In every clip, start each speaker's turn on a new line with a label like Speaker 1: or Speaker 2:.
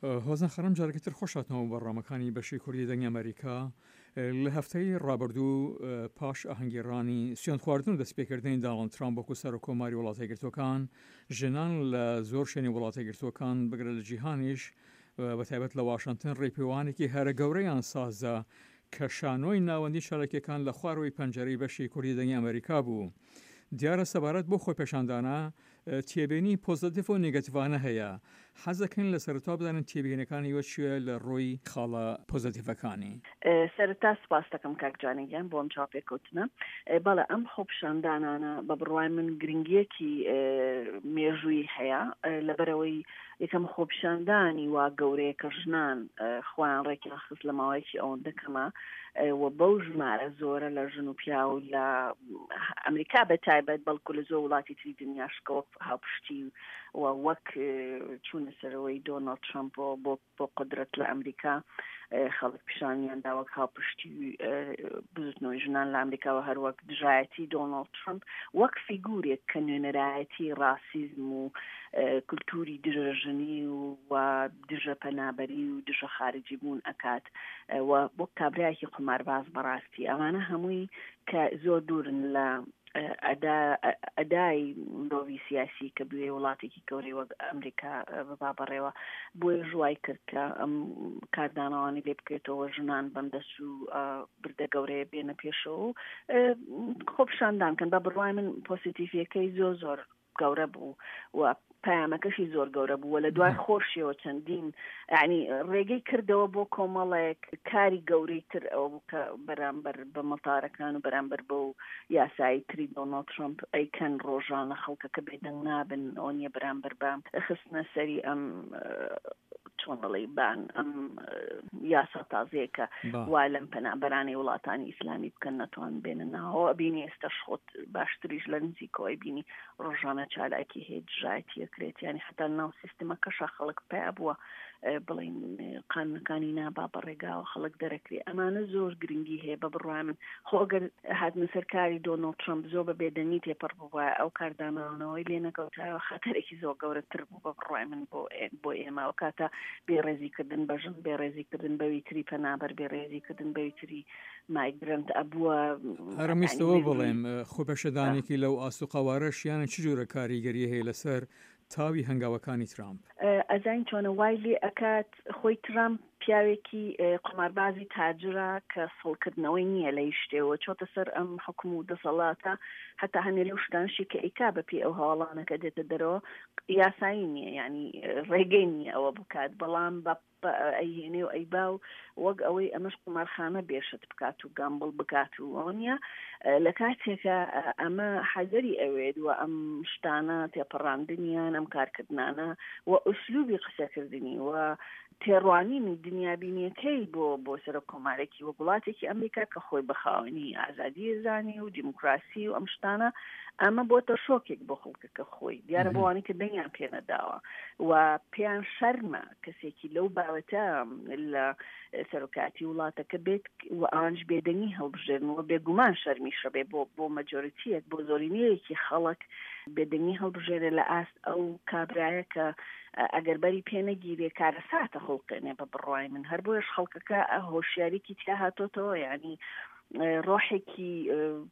Speaker 1: هۆزان خانم جارێکی تر خۆش هاتنەوە بۆ بەرنامەکانی بەشی کوردی دەنگی ئەمەریکا. لە هەفتەی ڕابردوو پاش ئاهەنگگێڕانی سوێندخواردن و دەستپێکردنی دانڵد ترامپ وەکو سەرۆک کۆماری وڵاتە یەکگرتووەکان، ژنان لە زۆر شوێنی وڵاتە یەکگرتووەکان بگرە لە جیهانیش بە تایبەت لە واشنتن ڕێپێوانێکی هەرە گەورەیان سازدا کە شانۆی ناوەندی چالاکیەکان لە خوارەوەی پەنجەرەی بەشی کوردی دەنگی ئەمەریکا بوو. دیارە سەبارەت بەو خۆپێشاندانە تێبینی پۆزەتیڤ و نێگەتیڤانە هەیە، حەز دەکەین لە سەرەتاوە بزانین تێبینەکانی ئێوە چییە لە ڕووی خاڵە پۆزەتیڤەکانی؟
Speaker 2: سەرەتا سوپاست دەکەم کاک جانە گیان بۆ ئەم چاوپێکەوتنە. بەڵێ ئەم خۆپیشاندانانە بە بڕوای من گرنگییەکی مێژوویی هەیە، لەبەرئەوەی یەکەم خۆپیشاندانی وا گەورەیە کە ژنان خۆیان ڕێکیان خست لە ماوەیەکی ئەوەندە کەمە و بەو ژمارە زۆرە لە ژن و پیاو لە ئەمریکا بە تایبەت بەڵکو لە زۆر وڵاتی تری دنیاش کە وەک هاوپشتی و وەک چوونە سەرەوەی دۆناڵد ترەمپ بۆ بۆ قودرەت لە ئەمریکا خەڵک پیشانیان دا وەک هاوپشتی بزوتنەوەی ژنان لە ئەمریکا و هەروەک دژایەتی دۆناڵد ترەمپ وەک فیگورێک کە نوێنەرایەتی ڕاسیزم و کولتوری دژە ژنی و دژە پەنابەری و دژە خارجی بوون ئەکات و وەک کابرایەکی قومارباز بەڕاستی ئەمانە هەمووی کە زۆر دوورن لە ئەدای مرۆڤی سیاسی کە بوێ وڵاتێکی گەورەی وەک ئەمریکا ببا بەڕێوە بۆیە ژوای کرد کە ئەم کاردانەوانی لێ بکرێتەوە ژنان بەم دەست و بردە گەورەیە بێنە پێشەوە و خۆپیشاندان کەن بە بڕوای من پۆسیتیڤیەکەی زۆر زۆر گەورە بوو و پەیامەکەشی زۆر گەورە بوو و لە دوای خۆشیەوە چەندین یعنی ڕێگەی کردەوە بۆ کۆمەڵێک کاری گەورەی تر ئەوە بوو کە بەرامبەر بە مەتارەکان و بەرامبەر بەو یاسایی تری دۆناڵد ترەمپ ئەیکەن ڕۆژانە خەڵکەکە بێدەنگ نابن ئەوە نییە بەرامبەر بە خستنە سەری ئەم چۆن دەڵێی بان ئەم یاسا تازەیە کە وا لەم پەنابەرانەی وڵاتانی ئیسلامی بکەن نەتوان بێنە ناوەوە ئەبینی ئێستاش خۆت باشتریش لە نزیکەوەی بینی ڕۆژانە چالاکی هەیە دژایەتی ئەکرێت یانی حتا ناو سیستمەکەشا خەڵک پیا بووە بڵین قانونەکانی نابا بە ڕێگاوە خەڵک دەرەکرێ ئەمانە زۆر گرنگی هەیە بە بڕوای من خۆ ئەگەر هاتنە سەر کاری دۆناڵد ترەمپ زۆر بە بێدەنگی تێپەڕ بووایە ئەو کاردانەوەی لێ نەکەوتایەوە خەتەرێکی زۆر گەورەتر بوو بە بڕوای من بۆ بۆ ئێمە ئەو کاتە بێڕێزی کردن بە ژن بێڕێزی کردن بەوی تری پەنابەر بێڕێزی کردن بەوی تری مایگرنت ئەبووە.
Speaker 1: هەرم ویستەوە بڵێم خۆپێشدانێکی لەو ئاست و قەوارەش یانە چ جۆرە کاریگەری هەیە لەسەر تاوی هەنگاوەکانی ترامپ؟
Speaker 2: ئەزانی چۆنە وای لێ ئەکات خۆی ترامپ پیاوێکی قوماربازی تاجرە کە سڵکردنەوەی نییە لە هیچ شتێ و چۆتە سەر ئەم حوکم و دەسەڵاتە هەتا هەنێ لەو شتانشی کە ئەیکا بە پێی ئەو هەواڵانە کە دێتە دەرەوە یاسایی نییە یانی ڕێگەی نییە ئەوە بکات بەڵام بە ئەیهێنێ و ئەیبا و وەک ئەوەی ئەمەش قومارخانە بێشت بکات و گامبڵ بکات و ئەوە نییە لە کاتێکە ئەمە حەزەری ئەوێت و ئەم شتانە تێپەڕاندنیان ئەم کارکردنانە و ئوسلوبی قسەکردنی و تێڕوانینی دنیابینیەکەی بۆ بۆ سەرۆک کۆمارێکی وەک وڵاتێکی ئەمریکا کە خۆی بە خاوەنی ئازادی زانی و دیموکراسی و ئەم شتانە ئەمە بۆتە شۆکێک بۆ خەڵکەکە خۆی دیارە بۆ وانی کە دەنگیان پێ نەداوە و پێیان شەرمە کەسێکی لەو باوەتە لە سەرۆکاتی وڵاتەکە بێت و ئەوانش بێدەنگی هەڵبژێرن و بێگومان شەرمیشە بێ بۆ بۆ مەجۆریتیەک بۆ زۆرینەیەکی خەڵک بێدەنگی هەڵبژێرێ لە ئاست ئەو کابرایە کە ئەگەر بەری پێ نەگیرێ کارەساتە خوڵقێنێ بە بڕوای من هەر بۆیەش خەڵکەکە هۆشیاریکی تیا هاتۆتەوە یعنی ڕۆحێکی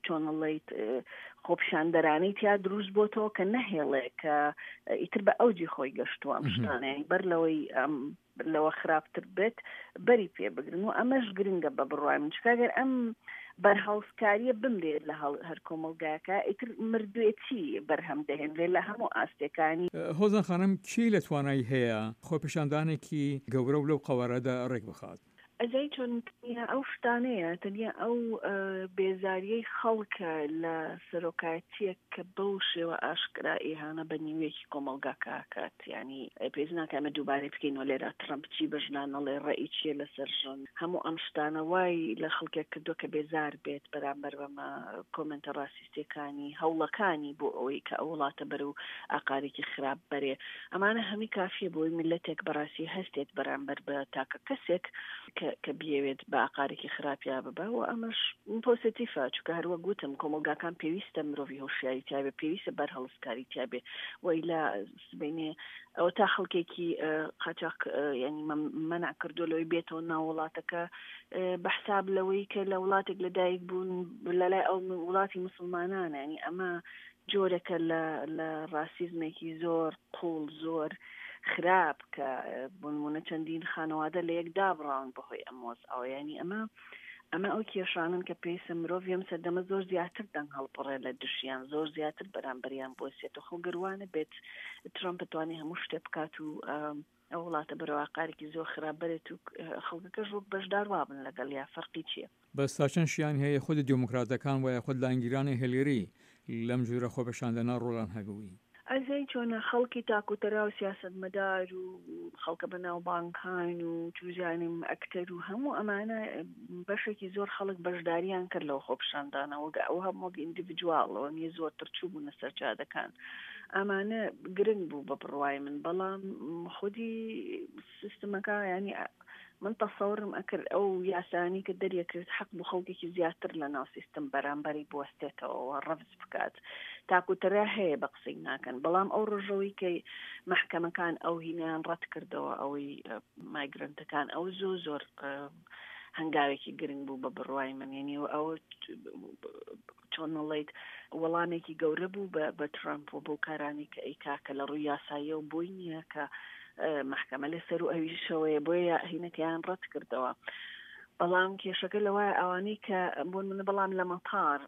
Speaker 2: چۆنڵیت خۆپیشاندەرانەی تیا دروست بۆتەوە کە نەهێڵێ کە ئیتر بە ئەوجی خۆی گەشتووە ئەم شتانە بەر لەوەی ئەم لەوە خراپتر بێت بەری پێ بگرن و ئەمەش گرنگە بە بڕوای من چونکە گەر ئەم بەرهەڵستکاریە بمرێت لە هەر کۆمەڵگایەکە ئیتر مردوێتی بەرهەم دەهێنرێت لە هەموو ئاستەکانی.
Speaker 1: هۆزان خانم کێی لە توانای هەیە خۆپیشاندانێکی گەورە و لەو قەوارەدا ڕێک بخات؟
Speaker 2: ئەزانی چۆن تەنیا ئەو شتانەیە تەنیا ئەو بێزاریەی خەڵکە لە سەرۆکایەتیەک کە بەو شێوە ئاشکرا ئیهانە بە نیوێکی کۆمەڵگاکە ئەکات یانی پێویست ناکا ئێمە دووبارەی بکەینەوە لێرە ترەمپ چی بە ژنان ئەڵێ ڕەئی چیە لەسەر ژن هەموو ئەم شتانە وای لە خەڵکێک کردووە کە بێزار بێت بەرامبەر بەمە کۆمێنتە ڕاسیستیەکانی هەوڵەکانی بۆ ئەوەی کە ئەو وڵاتە بەرەو ئاقارێکی خراپ بەرێ ئەمانە هەمی کافیە بۆی میللەتێک بەڕاستی هەستێت بەرامبەر بە تاکە کەسێک کە. کە بیەوێت بە ئاقارێکی خراپیا ببا و ئەمەش پۆسێتیفە چونکە هەر وەک وتم کۆمەڵگاکان پێویستە مرۆڤی هۆشیاری تیابێ پێویستە بەرهەڵستکاری تیابێ وەیلا سبەینێ ئەوە تا خەڵکێکی قاچاق ینی مەنع کردو لەوەی بێتەوە ناو وڵاتەکە بە حساب لەوەی کە لە وڵاتێک لەدایک بوون لەلای ئەو وڵاتی مسلمانانە ینی ئەمە جۆرێکە لە لە ڕاسیزمێکی زۆر قوڵ زۆر خراپ کە بۆنمونە چەندین خانەوادە لە یەک دابڕاون بەهۆی ئەم وەزعەوە ینی ئەمە ئەمە ئەو کێشانن کە پێویستە مرۆڤی ئەم سەردەمە زۆر زیاتر دەنگ هەڵبڕێ لە دژیان زۆر زیاتر بەرامبەریان بوەسێتەوە خۆ گەر وا نەبێت ترەمپ توانێ هەموو شتێ بکات و ئەو وڵاتە بەرەو ئاقارێکی زۆر خراپ بەرێت و خەڵکەکەش وەک بەشدار وابن لەگەڵ یا فەرقی چییە؟
Speaker 1: بەس تا چەند شیانی هەیە خودی دێموکراتەکان وە یاخود لایەنگیرانی هێلیری لەم جورە خۆپێشاندانە ڕۆڵیان هەبووی؟
Speaker 2: ئەزانی چۆنە خەڵکی تاکوتەرا و سیاسەتمەدار و خەڵکە بەناوبانگکان و چوزانم ئەکتەر و هەموو ئەمانە بەشێکی زۆر خەڵک بەشداریان کرد لەو خۆپیشاندانە وەک ئەو هەم وەک ئیندیڤیدواڵ ئەوە نیە زۆرتر چووبوونە سەر جادەکان ئەمانە گرنگ بوو بە بڕوای من بەڵام خودی سیستمەکە ینی من تەسەورم ئەکرد ئەو یاسایانەی کە دەریەکرد حەق بوو خەڵکێکی زیاتر لە ناو سیستم بەرامبەری بوەستێتەوە و ڕەفز بکات تاکوتەرا هەیە بە قسەی ناکەن بەڵام ئەو ڕۆژەوەی کە مەحکەمەکان ئەو هینیان ڕەت کردەوە ئەوەی مایگرنتەکان ئەو زۆ زۆر هەنگاوێکی گرنگ بوو بە بڕوای من یعنی ئەوە چۆن نەڵێیت وەڵامێکی گەورە بوو بە ترەمپ و بەو کارانەی کە ئەیکا کە لە ڕووی یاساییەوە بۆی نییە کە مەحکەمە لە سەر و ئەویشەوەیە بۆیە هینەکەیان ڕەت کردەوە. بەڵام کێشەکە لەوایە ئەوانەی کە بۆ نمونە بەڵام لە مەتار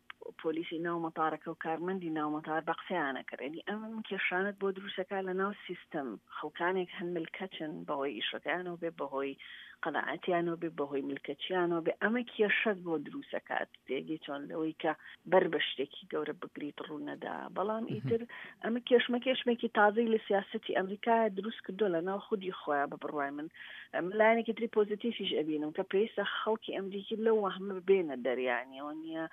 Speaker 2: پۆلیسی ناو مەتارەکە و کارمەندی ناو مەتار بە قسەیانە کرد یعنی ئەم کێشانت بۆ دروستەکە لە ناو سیستم خەڵکانێک هەن ملکەچن بەهۆی ئیشەکەیانەوە بێ بەهۆی قەناعەتیانەوە بێ بەهۆی ملکەچیانەوە بێ ئەمە کێشەت بۆ دروستەکات تێگەی چۆن لەوەی کە بەر بە شتێکی گەورە بگریت ڕوونەدا بەڵام ئیتر ئەمە کێشمە کێشمێکی تازەی لە سیاستی ئەمریکا دروست کردو لە ناو خودی خۆیان بە بڕوای من لایەنێکی تری پۆزیتیفیش ئەبینم کە پێویستە خەڵکی ئەمریکی لەو وەهمە بێنە دەریانیەوە نییە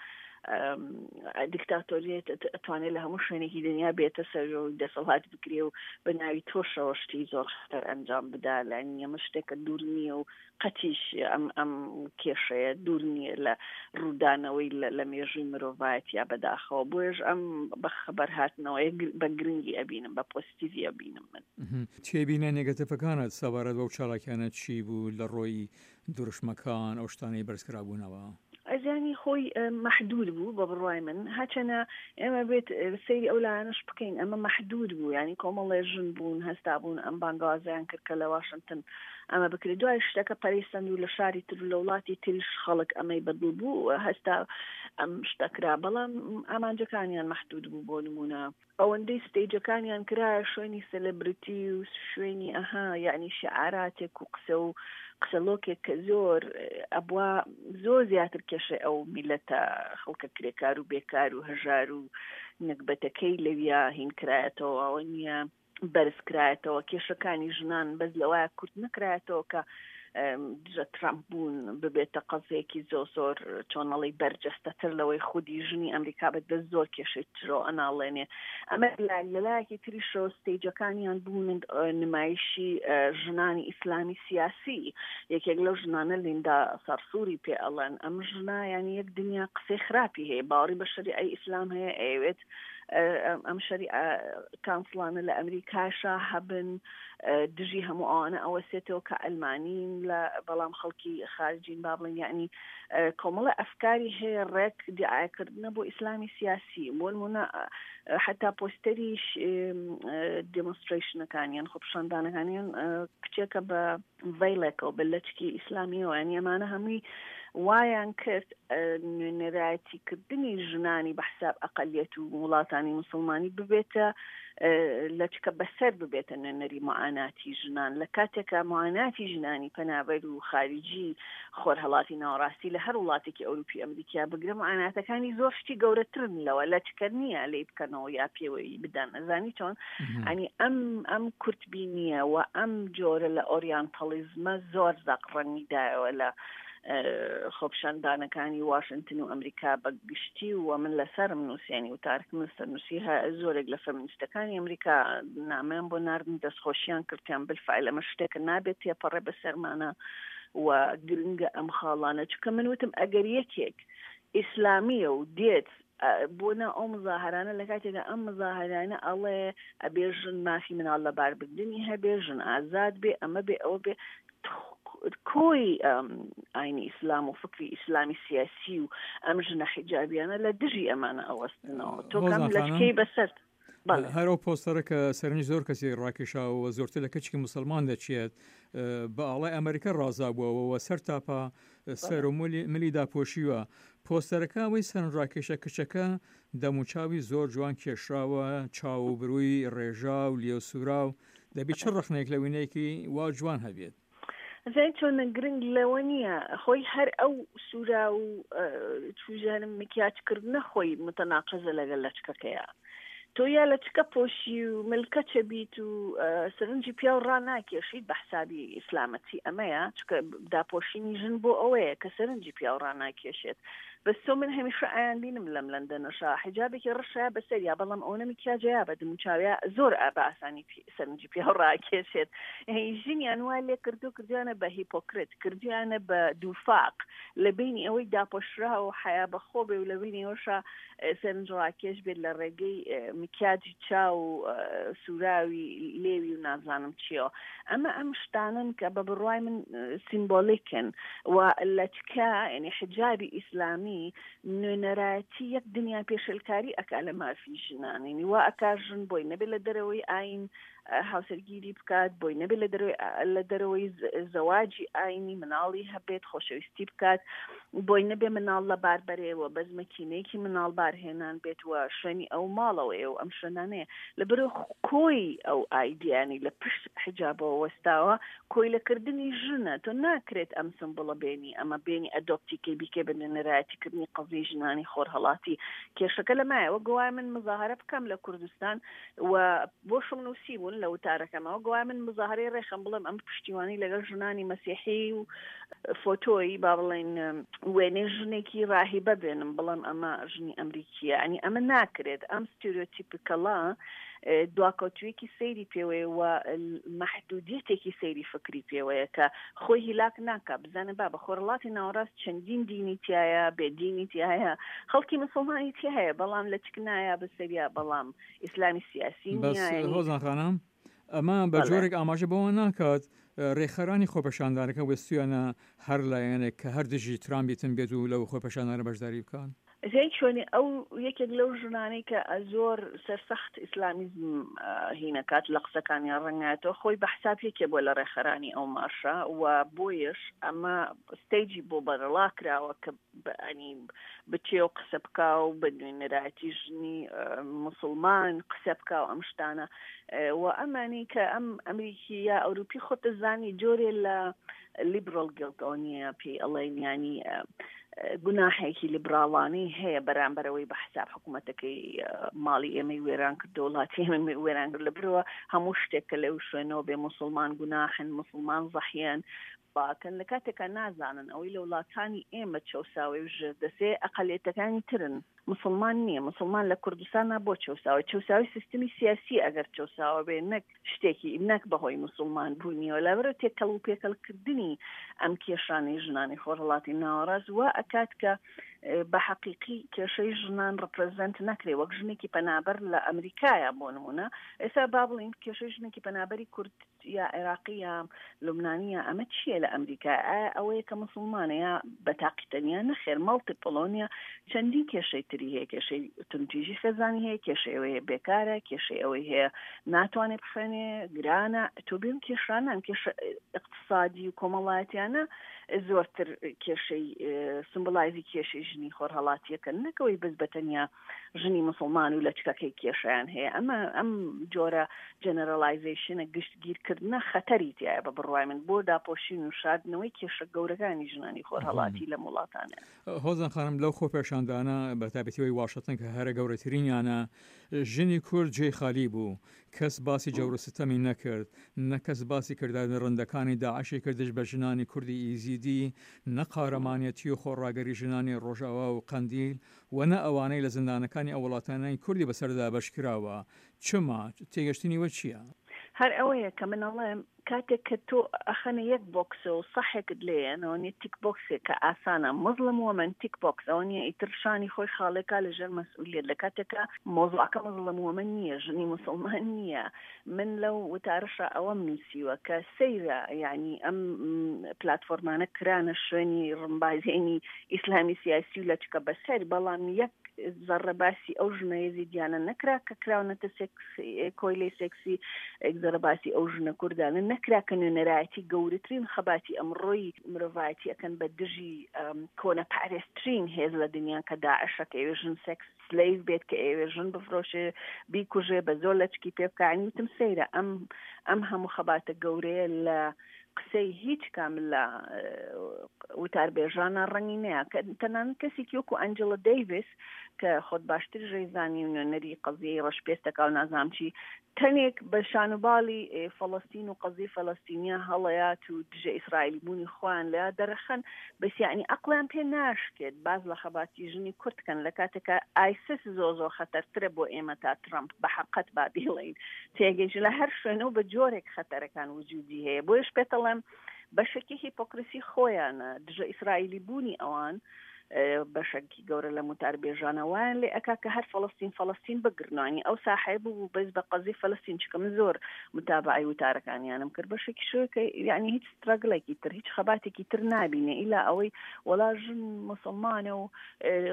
Speaker 2: دیکتاتۆریەت ئەتوانێت لە هەموو شوێنێکی دنیا بێتە سەر و دەسەڵات بگرێ و بە ناوی تۆشەوە شتی زۆر خەتەر ئەنجام بدا لانی ئەمە شتێکە دوور نییە و قەتیش ئەم ئەم کێشەیە دوور نییە لە ڕوودانەوەی لە مێژووی مرۆڤایەتیا بەداخەوە بۆیەش ئەم بە خەبەر هاتنەوەیە بە گرنگی ئەبینم بە پۆزیتیڤی ئەبینم من.
Speaker 1: تێبینە نێگەتیڤەکانت سەبارەت بەو چالاکیانە چی بوو لە ڕۆی دروشمەکان ئەو شتانەی بەرزکرابوونەوە؟
Speaker 2: زیانی خۆی مەحدود بوو بە بڕوای من هەچەنە ئێمە بێت سەیری ئەو لایەنەش بکەین ئەمە مەحدود بوو ینی کۆمەڵێ ژن بوون هەستا بوون ئەم بانگوازیان کرد کە لە واشنگتن ئەمە بکرێت دوای شتەکە پەرەی سەند و لە شاری تر و لە وڵاتی تریش خەڵک ئەمەی بەدڵ بوو هەستا ئەم شتە کرا بەڵام ئامانجەکانیان مەحدود بوو بۆ نمونە ئەوەندەی ستەیجەکانیان کرایە شوێنی سێلێبریتی و شوێنی ئەها یعنی شعاراتێک و قسە و قسەلۆکێک کە زۆر ئەبوا زۆر زیاتر کێشەی ئەو میلەتە خەڵکە کرێکار و بێکار و هەژار و نەگبەتەکەی لەویا هین کرایەتەوە ئەوە نییە بەرز کرایەتەوە کێشەکانی ژنان بەس لەوایە کورت نەکرایەتەوە کە دژە ترامپ بوون ببێتە قەزێکی زۆ زۆر چۆنەڵی بەرجەستەتر لەوەی خودی ژنی ئەمریکا بە دەست زۆر کێشەی ترۆ ئەناڵێنێ ئەمە لەلایەکی تریشەوە ستەیجەکانیان بوون نمایشی ژنانی ئیسلامی سیاسی یەکێک لەو ژنانە لیندا سەرسووری پێ ئەڵێن ئەم ژنە یانی یەک دنیا قسەی خراپی هەیە باوەڕی بە شەریعەی ئیسلام هەیە ئەیەوێت ئەم شەریعە کانسڵانە لە ئەمریکاشا هەبن دژی هەموو ئەوانە ئەوەسێتەوە کە ئەلمانین لە بەڵام خەڵکی خارجین با بڵێن یعنی کۆمەڵە ئەفکاری هەیە ڕێک دیعاکردنە بۆ ئیسلامی سیاسی بۆ نمونە حتا پۆستەریش دێمۆنسترەیشنەکانیان خۆپیشاندانەکانیان کچێکە بە ڤەیڵێکەوە بە لەچکی ئیسلامیەوە یانی ئەمانە هەمووی وایان کرد نوێنەرایەتی کردنی ژنانی بە حساب ئەقلیەت و وڵاتانی مسلمانی ببێتە لەچکە بەسەر ببێتە نوێنەری معاناتی ژنان لە کاتێکا معاناتی ژنانی پەنابەر و خارجی خۆرهەڵاتی ناوەڕاستی لە هەر وڵاتێکی ئەوروپی ئەمریکیا بگرە معاناتەکانی زۆر شتی گەورەترن لەوە لەچکە نییە لێی بکەنەوە یا پێوەی بدەن ئەزانی چۆن ئەنی ئەم ئەم کورتبینیە و ئەم جۆرە لە ئۆریانتەڵیزمە زۆر زەق ڕەنگی دایەوە لە. خۆپیشاندانەکانی واشنتن و ئەمریکا بە گشتی و من لەسەرم نووسیانی وتارکم لەسەر نووسی زۆرێک لە فەمینیستەکانی ئەمریکا نامەیان بۆ ناردن دەستخۆشیان کردیان بالفعل ئەمە شتێکە نابێت تێپەڕێ بەسەرمانە و گرنگە ئەم خاڵانە چونکە من وتم ئەگەر یەکێک ئیسلامیە و دێت بۆ نا ئەو مزاهرانە لە کاتێکدا ئەم مزاهرانە ئەڵێ ئەبێ ژن مافی مناڵ لەباربردنی هەبێ ژن ئازاد بێ ئەمە بێ ئەوە بێ کۆی ئاینی ئیسلام و فکری ئیسلامی سیاسی و ئەم ژنە حیجابیانە لە دژی ئەمانە ئەوەستنەوە تۆ کەم لەچکەی بەسەر
Speaker 1: هەر ئەو پۆستەرە کە سەرنج زۆر کەسی ڕاکێشاوە زۆرتر لە کچکی مسلمان دەچێت بە ئاڵای ئەمریکا ڕازابووەوە و سەر تاپا سەر و ملی داپۆشیوە پۆستەرەکە ئەوەی سەرنجڕاکێشە کچەکە دەموچاوی زۆر جوان کێشراوە چاو و بروی ڕێژا و لێو سوراو دەبی چ ڕەخنەیەک لە وینەیەکی وا جوان هەبێت؟
Speaker 2: ئەزانی چۆنە گرنگ لەوە نییە خۆی هەر ئەو سوورا و چوژانم مکیاج کردنە خۆی متەناقزە لەگەل لەچکەکەیە تۆ یا لەچکە پۆشی و ملکەچە بیت و سەرنجی پیاو ڕاناکێشیت بە حسابی ئیسلامەتی ئەمەیە چکە داپۆشینی ژن بۆ ئەوەیە کە سەرنجی پیاو ڕاناکێشێت بەس تۆ من هەمیشە ئایان بینم لەم لەندەنەشا حیجابێکی ڕەشە بەسەریا بەڵام ئەوەنە میکیاجەیا بە دموچاویا زۆر بە ئاسانی سەرنجی پیاو ڕاکێشێت ژنیان وا لێ کردو کردویانە بە هیپۆکرت کردویانە بە دووفاق لە بینی ئەوەی داپۆشرا و حیا بەخۆ بێ و لە بینی ئەوشا سەرنجڕاکێش بێت لە ڕێگەی مکیاجی چاو و سوراوی لێوی و نازانم چیەوە ئەمە ئەم شتانن کە بە بڕوای من سیمبۆلیکن و لەچکە یعنی حجابی ئیسلامی نوێنەرایەتی یەک دنیا پێشلکاری ئەکا لە مافی ژنان یعنی وا ئەکا ژن بۆی نەبێت لە دەرەوەی ئاین هاوسەرگیری بکات بۆی نەبێت لە دەرەوەی لە دەرەوەی زەواجی ئاینی مناڵی هەبێت خۆشەویستی بکات بۆی نەبێ مناڵ لە بار بەرێ و بەس مەکینەیەکی مناڵ بارهێنان بێت و شوێنی ئەو ماڵەوەیە و ئەم شوێنانەیە لە بەرەو کۆی ئەو ئایدیانی لە پشت حجابەوە وەستاوە کۆیلەکردنی ژنە تۆ ناکرێت ئەم سمبڵە بێنی ئەمە بێنی ئەدۆپتیکەی بیکەی بە نوێنەرایەتی کردنی قەزیەی ژنانی خۆرهەڵاتی کێشەکە لەمایە وەک گوایە من مزاهرە بکەم لە کوردستان و بۆشم نووسیبوون لە وتارەکەمەوە گوایە من مزاهرەی ڕێخەم بڵێم ئەم پشتیوانی لەگەڵ ژنانی مەسیحی و فۆتۆی با بڵێن وێنەی ژنێکی ڕاهیبە بێنم بڵێم ئەمە ژنی ئەمریکیە ئەنی ئەمە ناکرێت ئەم ستیرۆتیپکەڵە دواکەوتوویەکی سەیری پێوەیە و مەحدودیەتێکی سەیری فکری پێوەیە کە خۆی هیلاک ناکا بزانە بابە خۆرهەڵاتی ناوەڕاست چەندین دینی تایە بێ دینی تایە خەڵکی مسلمانی تایە بەڵام لە چک نایە بەسەریا بەڵام ئیسلامی سیاسی
Speaker 1: بەس هۆزان خانم ئەمە بە جۆرێک ئاماژە بەوە ناکات ڕێکخەرانی خۆپێشاندانەکە وێستویانە هەر لایەنێک کە هەر دژی ترامپ بیتن بێت و لەو خۆپێشاندانە بەشداری بکات.
Speaker 2: زەی چۆنی ئەو یەکێک لەو ژنانەی کە زۆر سەرسەخت ئیسلامیزم هینەکات لە قسەکانیان ڕەنگایەتەوە خۆی بە حساب یەکێ بووە لە ڕێکخەرانی ئەو مارشە و بۆیەش ئەمە ستەیجی بۆ بەرەڵا کراوە کە ئەنی بچێ و قسە بکا و بە نوێنەرایەتی ژنی مسلمان قسە بکا و ئەم شتانە و ئەمانی کە ئەم ئەمریکی یا ئەوروپی خۆت دەزانی جۆرێ لە لیبرال گیڵت ئەوە نییە پێی ئەڵێن ینی گوناحێکی لیبراڵانەی هەیە بەرامبەرەوەی بە حساب حکوومەتەکەی ماڵی ئێمەی وێران کرد وڵاتی ئێمە وێران کرد لە برەوە هەموو شتێک کە لەو شوێنەوە بێ مسلمان گوناحن مسلمان زەحیان باکەن لە کاتێکا نازانن ئەوەی لە وڵاتانی ئێمە چەوساوەی و ژێردەسێ ئەقەلێتەکانی ترن مسلمان نییە مسلمان لە کوردستانە بۆ چەوساوە چەوساوی سیستمی سیاسی ئەگەر چەوساوە بێ نەک شتێکی نەک بەهۆی مسلمان بوونیەوە لەبەرە تێکەڵ و پێکەڵ کردنی ئەم کێشانەی ژنانی خۆرهەڵاتی ناوەڕاست وا ئەکات کە بە حەقیقی کێشەی ژنان ڕپرزنت نەکرێ وەک ژنێکی پەنابەر لە ئەمریکایە بۆ نمونە ئێستا با بڵین کێشەی ژنێکی پەنابەری کورد یا عێراقی یا لوبنانی یا ئەمە چییە لە ئەمریکا ئایا ئەوەیە کە مسلمانە یا بە تاقی تەنیا نەخێر مەڵتیپڵۆنیە چەندین کێشەی تری هەیە کێشەی توندتیژی خێزانی هەیە کێشەی ئەوەی هەیە بێکارە کێشەی ئەوەی هەیە ناتوانێت بخوێنێ گرانە تۆ بێم کێشانە ئەم کێشە اقتصادی و کۆمەڵایەتیانە زۆرتر کێشەی سمبلایزی کێشەی ژنی خۆرهەڵاتیەکە نەکەوەی بەس بە تەنیا ژنی مسلمان و لەچکەکەی کێشیان هەیە ئەمە ئەم جۆرە جەنەرەلایزەیشنە گشتگیرکردنە خەتەری تایە بە بڕوای من بۆ داپۆشین و شاردنەوەی کێشە گەورەکانی ژنانی خۆرهەڵاتی لەم وڵاتانە.
Speaker 1: هۆزان خانم لەو خۆپێشاندانە بە تایبەتی ئەوەی واشنتن کە هەرە گەورەترینیانە ژنی کورد جێی خالی بوو. کەس باسی جەور و ستەمی نەکرد، نە کەس باسی کردارە دڕندەکانی داعشی کرد دژ بە ژنانی کوردی ئیزیدی، نە قارەمانێتی و خۆڕاگری ژنانی ڕۆژئاوا و قەندیل و نە ئەوانەی لە زیندانەکانی ئەو وڵاتانەی کوردی بەسەردا دابەش کراوە. چما؟ تێگەشتنی وە چییە؟
Speaker 2: هەر ئەوەیە کە من ئەڵێم کاتێک کە تۆ ئەخەنە یەک بۆکسەوە و سەحێکت لێیە ئەوە نیە تیک بۆکسێک کە ئاسانە مزڵم وۆمەن تیک بۆکس ئەوە نیە ئیتر شانی خۆی خاڵێکا لە ژێر مەسئولیەت لە کاتێکا مەوزوعەکە مزڵم وۆمەن نیە ژنی موسڵمان نیە من لەو وتارەشا ئەوەم نووسیوە کە سەیرە یعنی ئەم پلاتفۆرمانە کرانە شوێنی ڕمبازێنی ئیسلامی سیاسی و لەچکە بەسەر بەڵام یەک زەڕە باسی ئەو ژنە یەزیدیانە نەکرا کە کراونەتە سێکس کۆیلەی سێکسی زەرە باسی ئەو ژنە کوردانە نەکرا کە نوێنەرایەتی گەورەترین خەباتی ئەمڕۆی مرۆڤایەتی ئەکەن بە دژی کۆنەپارێزترین هێز لە دنیا کە داعشە کە ئەوێ ژن سێکس سلەیڤ بێت کە ئەوێ ژن بفرۆشێ بیکوژێ بە زۆر لەچکی پێ بکا یانی وتم سەیرە ئەم ئەم هەموو خەباتە گەورەیە لە قسەی هیچ کام لە وتاربێژانە ڕەنگی نەیە کە تەنانەت کەسێکی وەکو ئەنجڵە دەیڤس کە خۆت باشتر ژەیزانی و نوێنەری قەزیەی ڕەشپێستەکە و نازانم چی تەنێک بە شانوباڵی فەڵەستین و قەزیەی فەلەستینیا هەڵەیات و دژە ئیسرائیلی بوونی خۆیان لە دەرەخەن بەس یعنی ئەقڵیان پێ ناشکێت باز لە خەباتی ژنی کورد کەن لە کاتێکا ئایسس زۆ زۆر خەتەرترە بۆ ئێمە تا ترەمپ بە حەقەت با بیڵێین تێگەیش لە هەر شوێنە و بە جۆرێک خەتەرەکان وجودی هەیە بۆیش پێتەڵێم بەشێکی هیپۆکریسی خۆیانە دژە ئیسرائیلی بوونی ئەوان بەشەکی گەورە لە متاربێژانە وایان لێ ئەکا کە هەر فەڵستین فەڵستین بگرنانی ئەو ساحەیە بوو بەس بە قەزی فەلستین چکە من زۆر متابعی وتارەکانیانم کرد بەشێکی شوێکە یعنی هیچ سترەگلێکی تر هیچ خەباتێکی تر نابینێ ئیلا ئەوەی وەڵا ژن مسلمانە و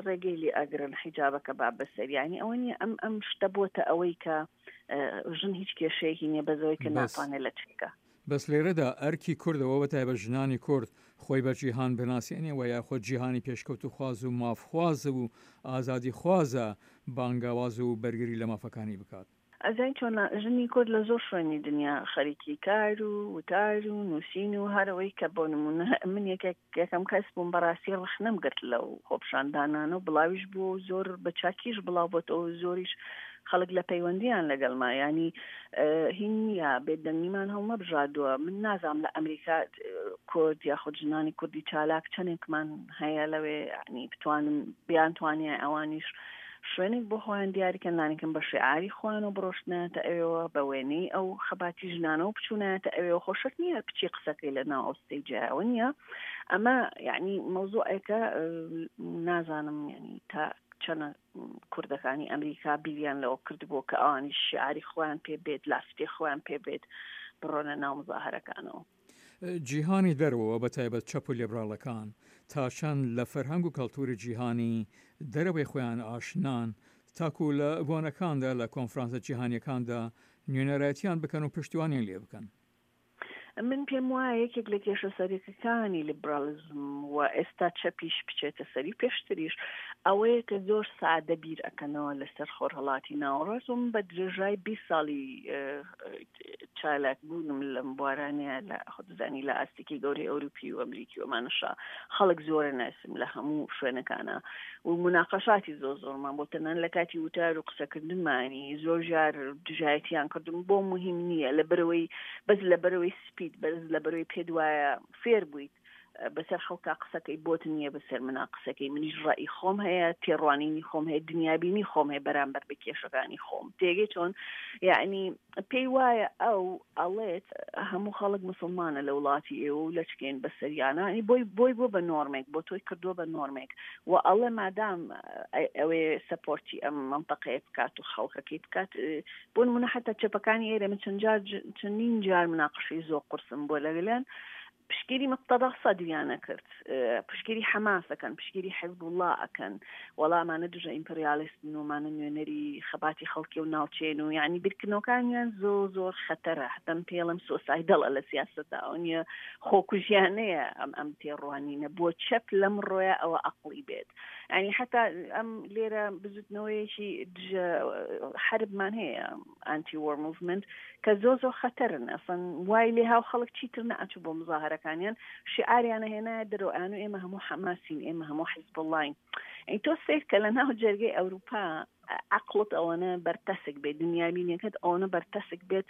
Speaker 2: ڕێگەی لێ ئەگرن حیجابەکە با بەسەر یعنی ئەوە نیە ئەم ئەم شتە بۆتە ئەوەی کە ژن هیچ کێشەیەکی نییە بەزەوەی کە ناتوانێت لە چکە.
Speaker 1: بەس لێرەدا ئەرکی کوردەوە بە تایبەت ژنانی کورد خۆی بە جیهان بناسێنێ وە یاخود جیهانی پێشکەوتوخواز و مافخواز و ئازادیخوازە بانگاواز و بەرگری لە مافەکانی بکات.
Speaker 2: ئەزانی چۆنە ژنی کورد لە زۆر شوێنی دنیا خەریکی کار و وتار و نووسین و هەر ئەوەی کە بۆ نموونە من یەکێک یەکەم کەس بووم بەڕاستی ڕەخنەم گرت لەو خۆپیشاندانانە و بڵاویش بووە و زۆر بە چاکیش بڵاو بۆتەوە و زۆریش خەڵک لە پەیوەندیان لەگەڵما یانی هین نییە بێدەنگیمان هەڵنەبژاردووە من نازانم لە ئەمریکا کورد یاخود ژنانی کوردی چالاک چەندێکمان هەیە لەوێ ینی بتوانن بیانتوانیان ئەوانیش شوێنێک بۆ خۆیان دیاریکەن لانیکەم بە شیعاری خۆیانەوە بڕۆشتنایەتە ئەوێوە بە وێنەی ئەو خەباتی ژنانەوە بچوونایەتە ئەوێوە خۆ شەرت نییە بچی قسەکەی لە ناو ئەو ستەیجایەوە نییە ئەمە یعنی مەوزوعێکە نازانم یعنی تا چەنە کوردەکانی ئەمریکا بیریان لەوە کردبوو کە ئەوانی شیعاری خۆیان پێ بێت لافتێ خۆیان پێ بێت بڕۆنە ناو مزاهرەکانەوە.
Speaker 1: جیهانی دەرەوە بە تایبەت چەپ و لیبراڵەکان تا چەند لە فەرهەنگ و کەڵتوری جیهانی دەرەوەی خۆیان ئاشنان تاکو لە بۆنەکاندا لە کۆنفرانسە جیهانیەکاندا نوێنەرایەتیان بکەن و پشتیوانیان لێ بکەن؟
Speaker 2: من پێم وایە یەکێک لە کێشە سەرەکیەکانی لیبراڵیزم و ئێستا چەپیش بچێتە سەری پێشتریش ئەوەیە کە زۆر سادە بیر ئەکەنەوە لەسەر خۆرهەڵاتی ناوەڕاست و من بە درێژای 20 ساڵی چالاک بوونم لەم بوارانەیە لە خۆدەزانی لە ئاستێکی گەورەی ئەوروپی و ئەمریکی و ئەمانەشا خەڵک زۆرە ناسم لە هەموو شوێنەکانە و مناقەشاتی زۆر زۆرمان بۆ تەنان لە کاتی وتار و قسەکردنمانی زۆر جار دژایەتیان کردم بۆ مهم نییە لە بەرەوەی بەس لە بەرەوەی سپیت بەس لە بەرەوەی پێت وایە فێر بوویت بەسەر خەڵکا قسەکەی بۆت نییە بەسەر منا قسەکەی منیش ڕئی خۆم هەیە تێڕوانینی خۆم هەیە دنیابینی خۆم هەیە بەرامبەر بە کێشەکانی خۆم تێگەی چۆن یعنی پێی وایە ئەو ئەڵێت هەموو خەڵک مسلمانە لە وڵاتی ئێوە و لەچکێن بەسەریانە بۆی بۆی بۆ بە نۆرمێک بۆ تۆی کردووە بە نۆرمێک و ئەڵێ مادام ئەوێ سەپۆرتی ئەم منطقەیە بکات و خەڵکەکەی بکات بۆ نمونە حتا چەپەکانی ئێرە من چەند جار چەندین جار مناقشەی زۆر قورسم بۆ لەگەلیان پشتگیری مقتەدا سەدریان ئەکرد، پشتگیری حەماس ئەکەن، پشتگیری حزبوڵا ئەکەن، وەڵا ئەمانە دژە ئیمپریالیستن و ئەمانە نوێنەری خەباتی خەڵکی و ناوچەیەن و یعنی بیرکردنەوەکانیان زۆر زۆر خەتەرە، هەتا من پێی ئەڵێم سۆسایدەڵە لە سیاسەتدا، ئەوە نییە خۆکوژیانەیە ئەم ئەم تێڕوانینە بۆ چەپ لەمڕۆیە ئەوە ئەقڵی بێت. یعنی حتا ئەم لێرە بزوتنەوەیەکی دژە حەربمان هەیە ئانتی وۆر موڤمنت کە زۆر زۆر خەتەرن ئەسڵەن وای لێ هاو خەڵک چیتر نەئەچوو بۆ مزاهەرەکانیان شیعاریانە هێنایە دەرەوە ئەیان و ئێمە هەموو حەماسین ئێمە هەموو حیزبوڵڵاین ئەی تۆ سەیر کە لە ناو جەرگەی ئەوروپا. عەقڵت ئەوەنە بەرتەسک بێت، دنیابینیەکەت ئەوەنە بەرتەسک بێت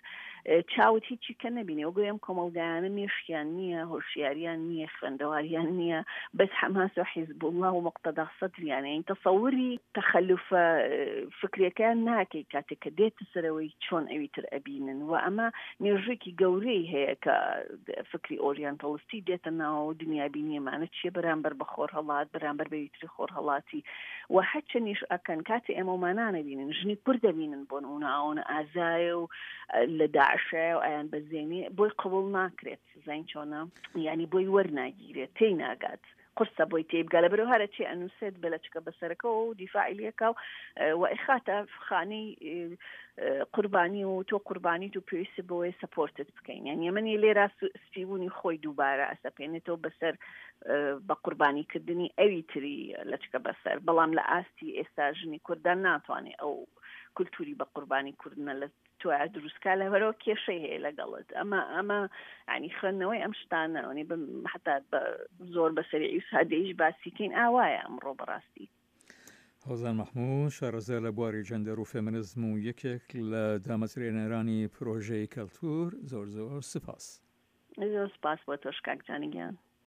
Speaker 2: چاوت هیچی کە نەبینێ وەگوی ئەم کۆمەڵگایانە مێشکیان نییە، هۆشیاریان نییە، خوێندەواریان نییە، بەس حەماس و حیزبوڵڵا و موقتەدا سەدریان یانی تەسەوری تەخەلوفە فکریەکەیان ناکەی کاتێک کە دێتە سەرەوەی چۆن ئەوی تر ئەبینن و ئەمە مێژوویەکی گەورەی هەیە کە فکری ئۆریانتەڵستی دێتە ناوەوە دنیابینیەمانە چیە بەرامبەر بە خۆرهەڵات بەرامبەر بەوی تری خۆرهەڵاتی و هەرچەنیش ئەکەن کاتێ ئێمە ومانانە بینن ژنی کورد دەبینن بۆ نمونە ئەوەنە ئازایە و لە داعشایە و ئەیان بەزێنێ بۆی قبوڵ ناکرێت زین چۆنە یعنی بۆی وەرناگیرێت تێی ناگات قورسە بۆی تێی بگا لەبەرەوە هەرە چی ئەنووسێت بە لەچکە بەسەرەکەەوە و دیفاعی لەکە و و ئەیخاتە خانەی قوربانی و تۆ قوربانیت و پێویست بۆیە سەپۆرتت بکەین یان یەمەنی لێرا سپیبوونی خۆی دووبارە ئەسەپێنێتەوە بەسەر بە قوربانیکردنی ئەوی تری لەچکە بەسەر بەڵام لە ئاستی ئێستا ژنی کوردان ناتوانێت ئەو کولتوری بە قوربانی کوردنە لە تۆیا دروستکا لەبەرەوە کێشەی هەیە لەگەڵت ئەمە ئەمە ینی خوێندنەوەی ئەم شتانە ئەنی حتا زۆر بە سەریعی و سادەیش باسیکەین ئاوایە ئەمڕۆ بەڕاستی.
Speaker 1: هۆزان مەحموود شارەزا لە بواری جەندەر و فێمنزم و یەکێک لە دامەزرێنەرانی پرۆژەی کەلتوور زۆر زۆر سپاس.
Speaker 2: زۆر سپاس بۆ تۆش کاک جانی گیان.